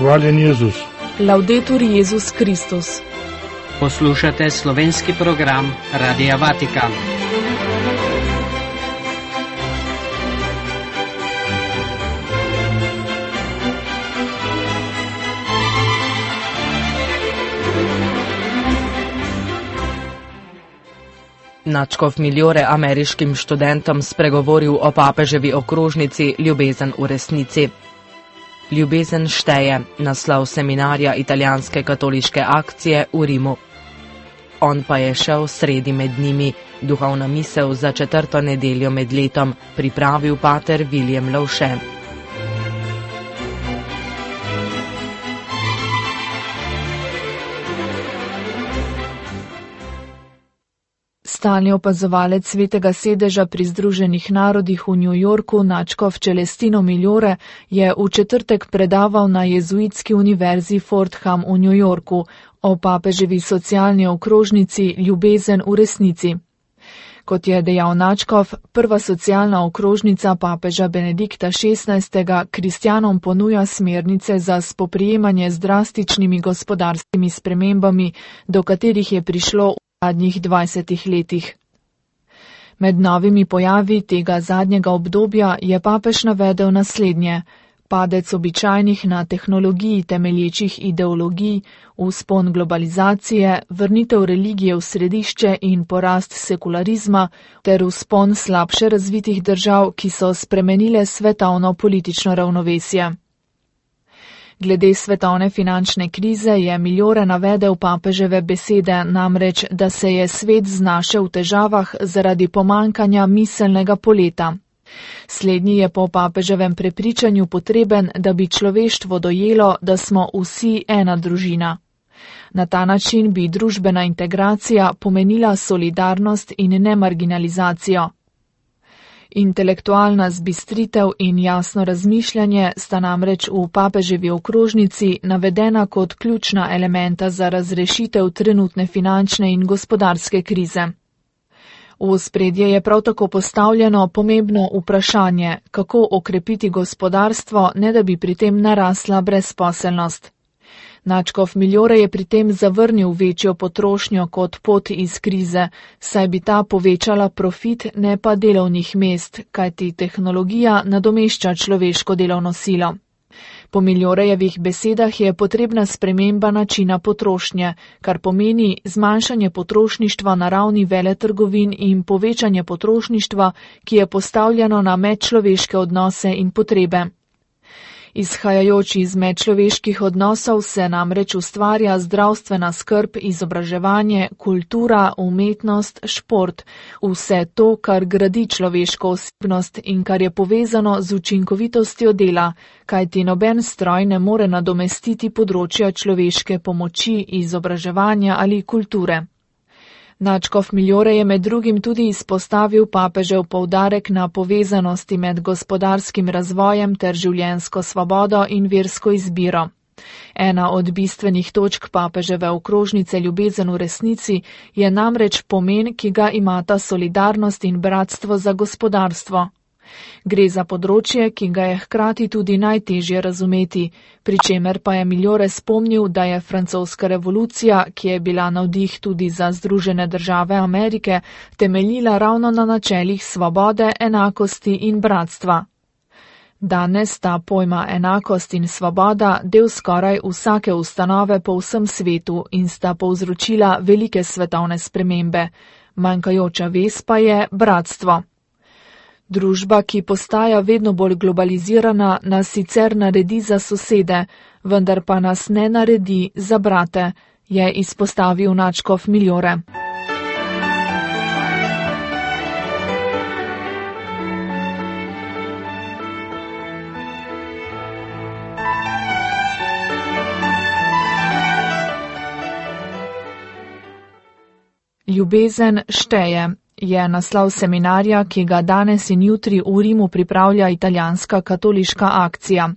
Hvaljen Jezus. Laudetur Jezus Kristus. Poslušate slovenski program Radia Vatikan. Nadškof Migliore ameriškim študentom spregovoril o papeževi okrožnici Ljubezen v resnici. Ljubezen šteje, naslov seminarja italijanske katoliške akcije v Rimu. On pa je šel sredi med njimi, duhovna misel za 4. nedeljo med letom, pripravil pater William Lovše. Stalni opazovalec Svetega sedeža pri Združenih narodih v New Yorku, nadškof Celestino Migliore, je v četrtek predaval na jezuitski univerzi Fordham v New Yorku o papeževi socialni okrožnici Ljubezen v resnici. Kot je dejal nadškof, prva socialna okrožnica papeža Benedikta XVI. Kristjanom ponuja smernice za spoprijemanje z drastičnimi gospodarskimi spremembami, do katerih je prišlo v zadnjih 20 letih. Med novimi pojavi tega zadnjega obdobja je papež navedel naslednje: padec običajnih na tehnologiji temelječih ideologij, vzpon globalizacije, vrnitev religije v središče in porast sekularizma ter vzpon slabše razvitih držav, ki so spremenile svetovno politično ravnovesje. Glede svetovne finančne krize je Migliore navedel papeževe besede, namreč, da se je svet znašel v težavah zaradi pomankanja miselnega poleta. Slednji je po papeževem prepričanju potreben, da bi človeštvo dojelo, da smo vsi ena družina. Na ta način bi družbena integracija pomenila solidarnost in ne marginalizacijo. Intelektualna zbistritev in jasno razmišljanje sta namreč v papeževi okrožnici navedena kot ključna elementa za razrešitev trenutne finančne in gospodarske krize. V ospredje je prav tako postavljeno pomembno vprašanje, kako okrepiti gospodarstvo, ne da bi pri tem narasla brezposelnost. Nadškof Migliore je pri tem zavrnil večjo potrošnjo kot pot iz krize, saj bi ta povečala profit, ne pa delovnih mest, kajti tehnologija nadomešča človeško delovno silo. Po Migliorejevih besedah je potrebna sprememba načina potrošnje, kar pomeni zmanjšanje potrošništva na ravni veletrgovin in povečanje potrošništva, ki je postavljeno na medčloveške odnose in potrebe. Izhajajoč iz medčloveških odnosov se namreč ustvarja zdravstvena skrb, izobraževanje, kultura, umetnost, šport, vse to, kar gradi človeško osebnost in kar je povezano z učinkovitostjo dela, kajti noben stroj ne more nadomestiti področja človeške pomoči, izobraževanja ali kulture. Nadškof Migliore je med drugim tudi izpostavil papežev poudarek na povezanosti med gospodarskim razvojem ter življenjsko svobodo in versko izbiro. Ena od bistvenih točk papeževe okrožnice Ljubezen v resnici je namreč pomen, ki ga imata solidarnost in bratstvo za gospodarstvo. Gre za področje, ki ga je hkrati tudi najtežje razumeti, pri čemer pa je Migliore spomnil, da je francoska revolucija, ki je bila navdih tudi za Združene države Amerike, temeljila ravno na načelih svobode, enakosti in bratstva. Danes sta pojma enakost in svoboda del skoraj vsake ustanove po vsem svetu in sta povzročila velike svetovne spremembe. Manjkajoča vez pa je bratstvo. Družba, ki postaja vedno bolj globalizirana, nas sicer naredi za sosede, vendar pa nas ne naredi za brate, je izpostavil nadškof Migliore. Ljubezen šteje je naslov seminarja, ki ga danes in jutri v Rimu pripravlja italijanska katoliška akcija.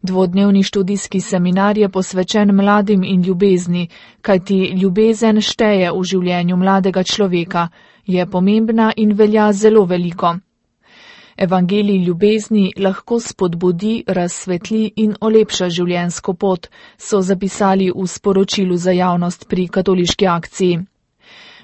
Dvodnevni študijski seminar je posvečen mladim in ljubezni, kajti ljubezen šteje v življenju mladega človeka, je pomembna in velja zelo veliko. Evangelij ljubezni lahko spodbudi, razsvetli in olepša življenjsko pot, so zapisali v sporočilu za javnost pri katoliški akciji.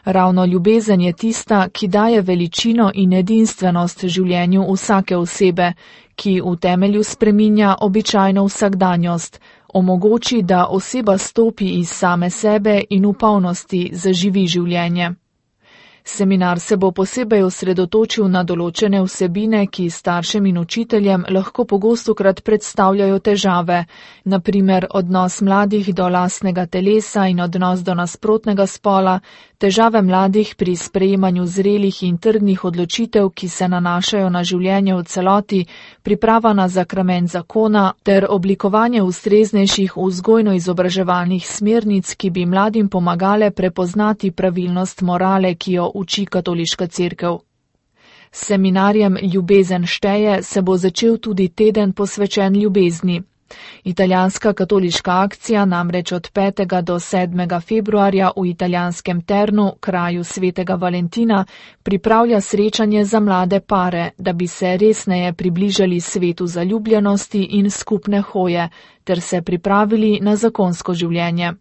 Ravno ljubezen je tista, ki daje veličino in edinstvenost življenju vsake osebe, ki v temelju spreminja običajno vsakdanjost, omogoči, da oseba stopi iz same sebe in v polnosti zaživi življenje. Seminar se bo posebej osredotočil na določene vsebine, ki staršem in učiteljem lahko pogostokrat predstavljajo težave, na primer odnos mladih do lastnega telesa in odnos do nasprotnega spola, težave mladih pri sprejemanju zrelih in trdnih odločitev, ki se nanašajo na življenje v celoti, priprava na zakrament zakona ter oblikovanje ustreznejših vzgojno-izobraževalnih smernic, ki bi mladim pomagale prepoznati pravilnost morale, ki jo uči katoliška cerkev. S seminarjem Ljubezen šteje se bo začel tudi teden posvečen ljubezni. Italijanska katoliška akcija namreč od 5. do 7. februarja v italijanskem Ternu, kraju svetega Valentina, pripravlja srečanje za mlade pare, da bi se resneje približali svetu zaljubljenosti in skupne hoje, ter se pripravili na zakonsko življenje.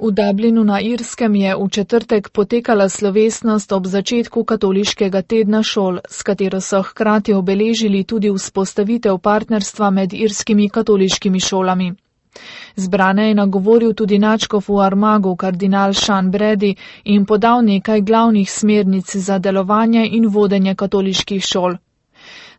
V Dublinu na Irskem je v četrtek potekala slovesnost ob začetku katoliškega tedna šol, s katero so hkrati obeležili tudi vzpostavitev partnerstva med irskimi katoliškimi šolami. Zbrane je nagovoril tudi nadškof v Armagu kardinal Sean Brady in podal nekaj glavnih smernic za delovanje in vodenje katoliških šol.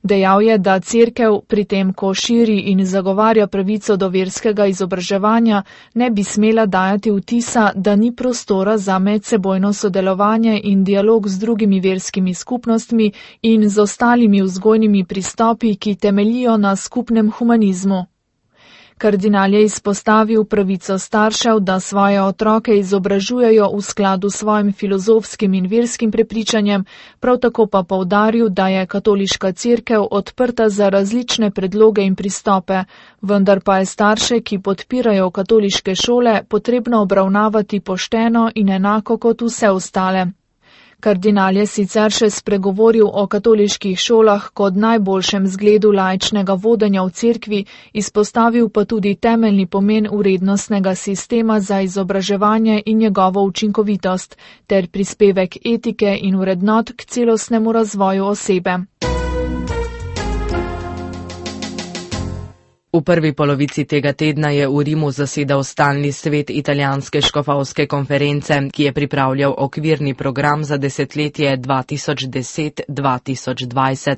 Dejal je, da cerkev pri tem, ko širi in zagovarja pravico do verskega izobraževanja, ne bi smela dajati vtisa, da ni prostora za medsebojno sodelovanje in dialog z drugimi verskimi skupnostmi in z ostalimi vzgojnimi pristopi, ki temeljijo na skupnem humanizmu. Kardinal je izpostavil pravico staršev, da svoje otroke izobražujejo v skladu s svojim filozofskim in verskim prepričanjem, prav tako pa poudaril, da je katoliška cerkev odprta za različne predloge in pristope, vendar pa je starše, ki podpirajo katoliške šole, potrebno obravnavati pošteno in enako kot vse ostale. Kardinal je sicer še spregovoril o katoliških šolah kot najboljšem zgledu laičnega vodenja v cerkvi, izpostavil pa tudi temeljni pomen vrednostnega sistema za izobraževanje in njegovo učinkovitost, ter prispevek etike in vrednot k celostnemu razvoju osebe. V prvi polovici tega tedna je v Rimu zasedal stalni svet italijanske škofovske konference, ki je pripravljal okvirni program za desetletje 2010-2020.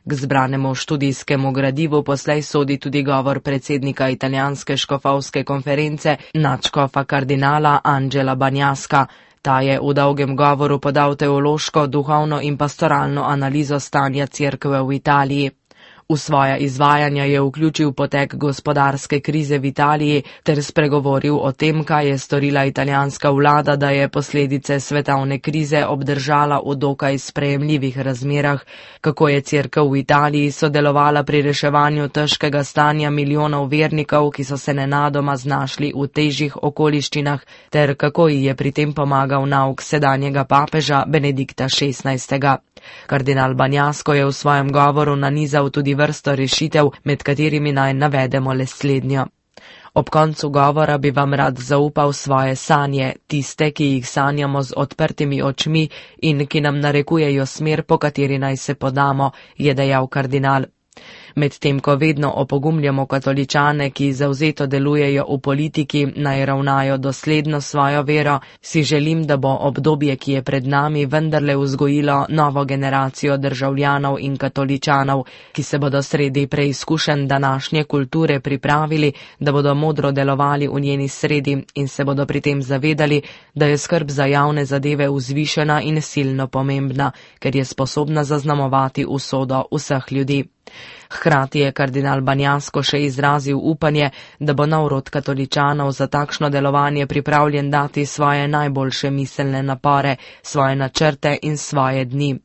K zbranemu študijskemu gradivu poslej sodi tudi govor predsednika italijanske škofovske konference, nadškofa kardinala Angela Bagnaska. Ta je v dolgem govoru podal teološko, duhovno in pastoralno analizo stanja cerkve v Italiji. V svoja izvajanja je vključil potek gospodarske krize v Italiji ter spregovoril o tem, kaj je storila italijanska vlada, da je posledice svetovne krize obdržala v dokaj sprejemljivih razmerah, kako je cerkev v Italiji sodelovala pri reševanju težkega stanja milijonov vernikov, ki so se nenadoma znašli v težjih okoliščinah, ter kako ji je pri tem pomagal nauk sedanjega papeža Benedikta XVI. Kardinal Bagnasko je v svojem govoru nanizal tudi vrsto rešitev, med katerimi naj navedemo le slednjo. Ob koncu govora bi vam rad zaupal svoje sanje, tiste, ki jih sanjamo z odprtimi očmi in ki nam narekujejo smer, po kateri naj se podamo, je dejal kardinal. Medtem ko vedno opogumljamo katoličane, ki zavzeto delujejo v politiki, naj ravnajo dosledno svojo vero, si želim, da bo obdobje, ki je pred nami, vendarle vzgojilo novo generacijo državljanov in katoličanov, ki se bodo sredi preizkušenj današnje kulture pripravili, da bodo modro delovali v njeni sredi in se bodo pri tem zavedali, da je skrb za javne zadeve vzvišena in silno pomembna, ker je sposobna zaznamovati usodo vseh ljudi. Hkrati je kardinal Bagnasko še izrazil upanje, da bo nov rod katoličanov za takšno delovanje pripravljen dati svoje najboljše miselne napore, svoje načrte in svoje dni.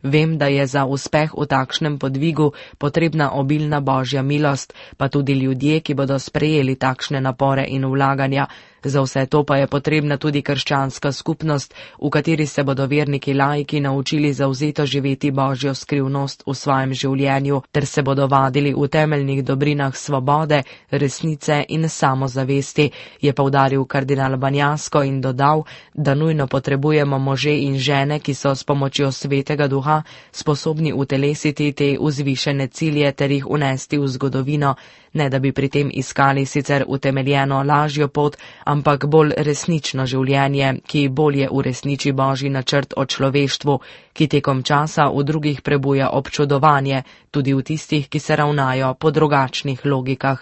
Vem, da je za uspeh v takšnem podvigu potrebna obilna božja milost, pa tudi ljudje, ki bodo sprejeli takšne napore in vlaganja. Za vse to pa je potrebna tudi krščanska skupnost, v kateri se bodo verniki laiki naučili zavzeto živeti božjo skrivnost v svojem življenju, ter se bodo vadili v temeljnih dobrinah svobode, resnice in samozavesti, je poudaril kardinal Banjasko in dodal, da nujno potrebujemo može in žene, ki so s pomočjo svetega duha sposobni utelesiti te vzvišene cilje ter jih unesti v zgodovino, ne da bi pri tem iskali sicer utemeljeno lažjo pot, ampak bolj resnično življenje, ki bolje uresniči božji načrt o človeštvu, ki tekom časa v drugih prebuja občudovanje, tudi v tistih, ki se ravnajo po drugačnih logikah.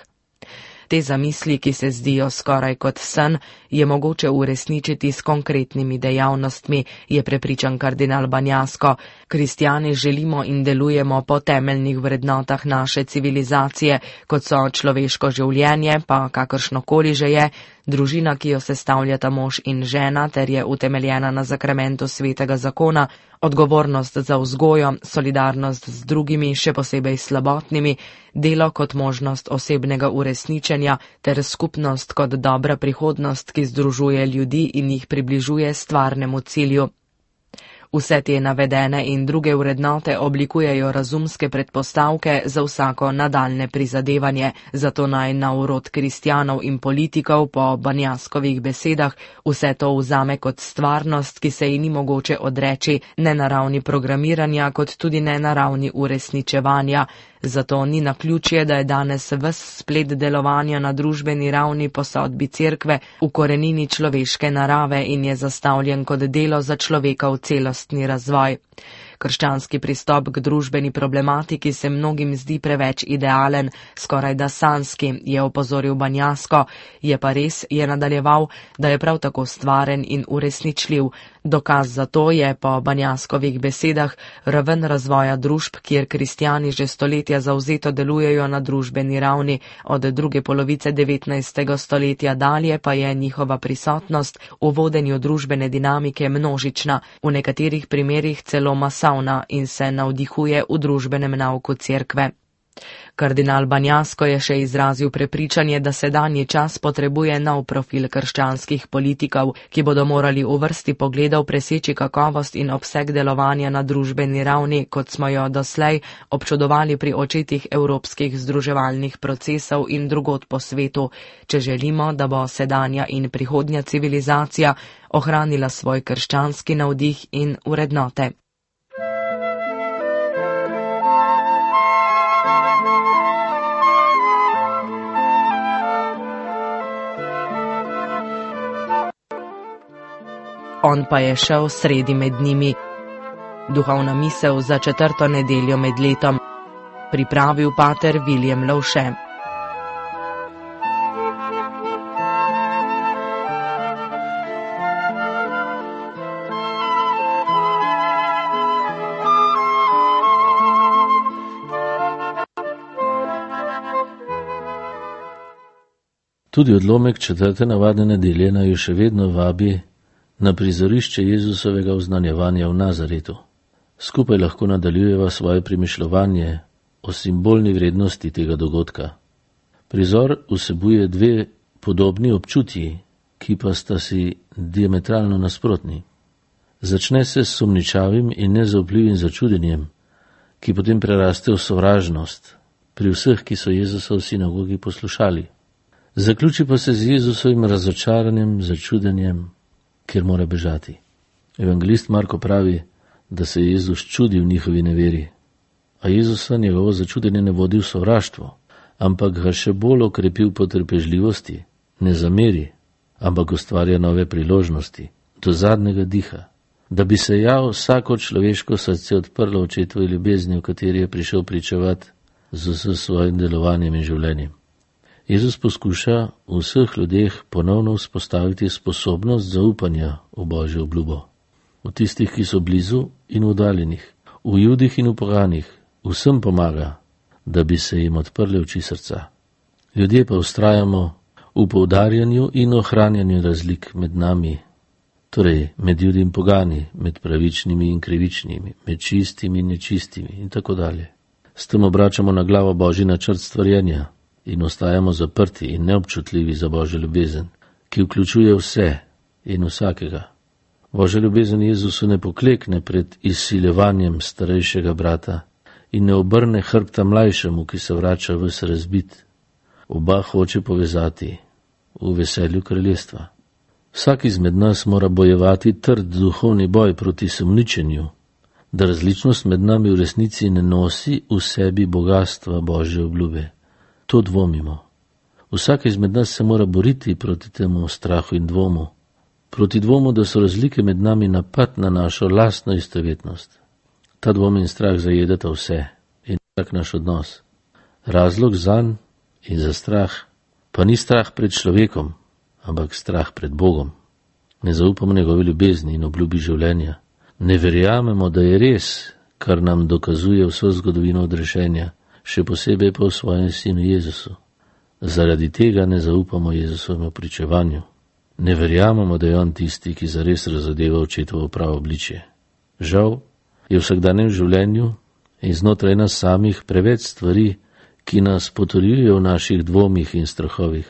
Te zamisli, ki se zdijo skoraj kot sen, je mogoče uresničiti s konkretnimi dejavnostmi, je prepričan kardinal Banjasko. Kristjani želimo in delujemo po temeljnih vrednotah naše civilizacije, kot so človeško življenje, pa kakršnokoli že je, družina, ki jo sestavljata mož in žena, ter je utemeljena na zakramentu svetega zakona, odgovornost za vzgojo, solidarnost z drugimi, še posebej slabotnimi, delo kot možnost osebnega uresničenja ter skupnost kot dobra prihodnost, ki združuje ljudi in jih približuje stvarnemu cilju. Vse te navedene in druge vrednote oblikujejo razumske predpostavke za vsako nadaljne prizadevanje, zato naj na urod kristjanov in politikov po Banjaskovih besedah vse to vzame kot stvarnost, ki se ji ni mogoče odreči, ne na ravni programiranja, kot tudi ne na ravni uresničevanja. Zato ni naključje, da je danes ves splet delovanja na družbeni ravni po sodbi cerkve v korenini človeške narave in je zastavljen kot delo za človekov celostni razvoj. Krščanski pristop k družbeni problematiki se mnogim zdi preveč idealen, skoraj da sanski, je opozoril Banjasko, je pa res, je nadaljeval, da je prav tako stvaren in uresničljiv. Dokaz za to je po Banjaskovih besedah raven razvoja družb, kjer kristjani že stoletja zavzeto delujejo na družbeni ravni, od druge polovice 19. stoletja dalje pa je njihova prisotnost v vodenju družbene dinamike množična, v nekaterih primerih celo masovna in se navdihuje v družbenem nauku cerkve. Kardinal Banjasko je še izrazil prepričanje, da sedanji čas potrebuje nov profil krščanskih politikov, ki bodo morali v vrsti pogledov preseči kakovost in obseg delovanja na družbeni ravni, kot smo jo doslej občudovali pri očetih evropskih združevalnih procesov in drugod po svetu, če želimo, da bo sedanja in prihodnja civilizacija ohranila svoj krščanski navdih in vrednote. On pa je šel sredi med njimi. Duhovna misel za 4. nedeljo med letom. Pripravil pater William Lovše. Tudi odlomek 4. navadne nedelje naju še vedno vabi na prizorišče Jezusovega oznanjevanja v Nazaretu. Skupaj lahko nadaljujeva svoje premišljevanje o simbolni vrednosti tega dogodka. Prizor vsebuje dve podobni občutji, ki pa sta si diametralno nasprotni. Začne se s sumničavim in nezaupljivim začudenjem, ki potem preraste v sovražnost pri vseh, ki so Jezusa v sinagogi poslušali. Zaključi pa se z Jezusovim razočaranjem, začudenjem, ker mora bežati. Evangelist Marko pravi, da se je Jezus čudil njihovi neveri, a Jezusa njegovo začudenje ne vodi v sovraštvo, ampak ga še bolj okrepi v potrpežljivosti, ne zameri, ampak ustvarja nove priložnosti, do zadnjega diha, da bi se vsako človeško srce odprlo očetovi ljubezni, v kateri je prišel pričevati z vsem svojim delovanjem in življenjem. Jezus poskuša v vseh ljudeh ponovno vzpostaviti sposobnost zaupanja v Božjo obljubo. V tistih, ki so blizu in oddaljenih, v Judih in v poganih, vsem pomaga, da bi se jim odprle oči srca. Ljudje pa vztrajamo v poudarjanju in ohranjanju razlik med nami Torej, med Judi in pogani, med pravičnimi in krivičnimi, med čistimi in nečistimi in tako dalje. S tem obračamo na glavo Božji načrt stvarjenja in ostajamo zaprti in neobčutljivi za Božjo ljubezen, ki vključuje vse in vsakega. Božja ljubezen Jezusu ne poklekne pred izsiljevanjem starejšega brata in ne obrne hrbta mlajšemu, ki se vrača ves razbit. Oba hoče povezati v veselju kraljestva. Vsak izmed nas mora bojevati trd duhovni boj proti sumničenju, da različnost med nami v resnici ne nosi v sebi bogastva Božje obljube. To dvomimo. Vsak izmed nas se mora boriti proti temu strahu in dvomu. Proti dvomu, da so razlike med nami napad na našo lastno istovetnost. Ta dvom in strah zajedata vse in vsak naš odnos. Razlog zanj in za strah pa ni strah pred človekom, ampak strah pred Bogom. Ne zaupamo njegove ljubezni in obljubi življenja. Ne verjamemo, da je res, kar nam dokazuje vso zgodovino odrešenja, še posebej pa v svojem sinu Jezusu. Zaradi tega ne zaupamo Jezusovemu pričevanju. Ne verjamemo, da je on tisti, ki zares razodeva očetovo pravo obličje. Žal je v vsakdanjem življenju in znotraj nas samih preveč stvari, ki nas potrjujejo v naših dvomih in strahovih.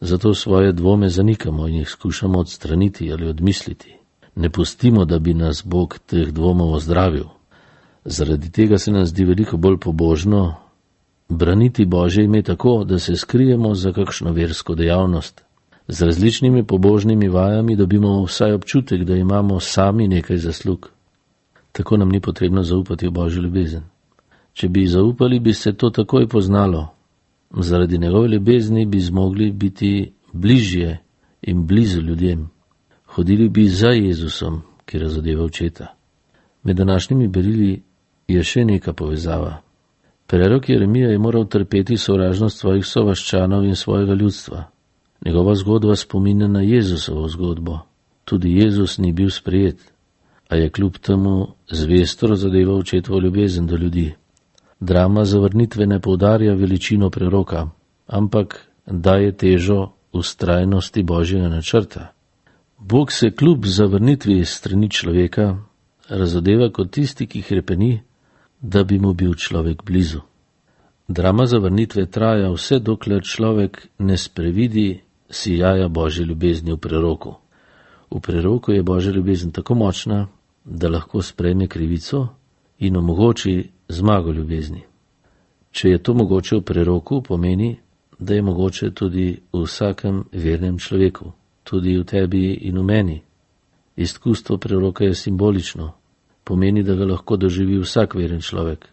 Zato svoje dvome zanikamo in jih skušamo odstraniti ali odmisliti. Ne pustimo, da bi nas Bog teh dvomov ozdravil. Zaradi tega se nam zdi veliko bolj pobožno braniti Božje ime tako, da se skrijemo za kakšno versko dejavnost. Z različnimi pobožnimi vajami dobimo vsaj občutek, da imamo sami nekaj zaslug. Tako nam ni potrebno zaupati v Božjo ljubezen. Če bi zaupali, bi se to takoj poznalo. Zaradi njegove ljubezni bi zmogli biti bližje in blizu ljudem. Hodili bi za Jezusom, ki razodeva očeta. Med današnjimi berili je še neka povezava. Prerok Jeremija je moral trpeti sovražnost svojih sovaščanov in svojega ljudstva. Njegova zgodba spominja na Jezusovo zgodbo. Tudi Jezus ni bil sprejet, a je kljub temu zvesto razodeval očetovo ljubezen do ljudi. Drama zavrnitve ne poudarja veličino preroka, ampak daje težo vztrajnosti Božjega načrta. Bog se kljub zavrnitvi strani človeka razodeva kot tisti, ki hrepeni, da bi mu bil človek blizu. Drama zavrnitve traja vse, dokler človek ne sprevidi sijaja Božje ljubezni v preroku. V preroku je Božja ljubezen tako močna, da lahko sprejme krivico in omogoči zmago ljubezni. Če je to mogoče v preroku, pomeni, da je mogoče tudi v vsakem vernem človeku, tudi v tebi in v meni. Izkustvo preroka je simbolično, pomeni, da ga lahko doživi vsak veren človek.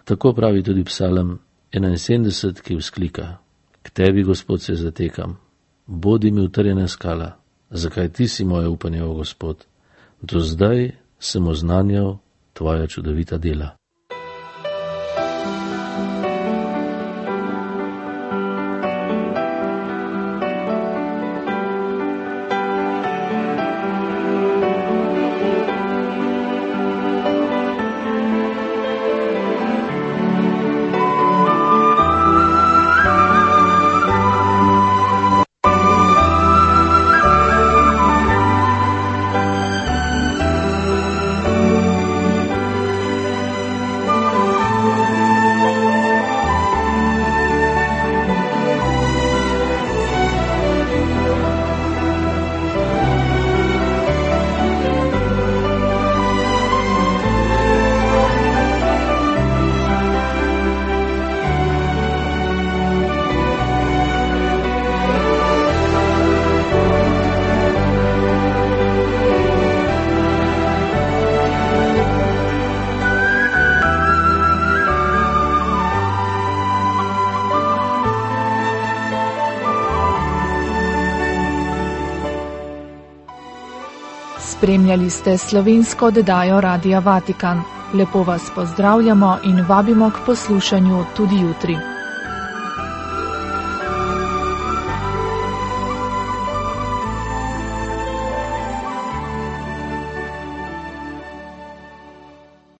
Tako pravi tudi Psalm 71, ki vzklika: K tebi, Gospod, se zatekam, bodi mi utrjena skala, zakaj ti si moje upanje, o Gospod. Do zdaj sem oznanjal tvoja čudovita dela. Spremljali ste slovensko oddajo Radia Vatikan. Lepo vas pozdravljamo in vabimo k poslušanju tudi jutri.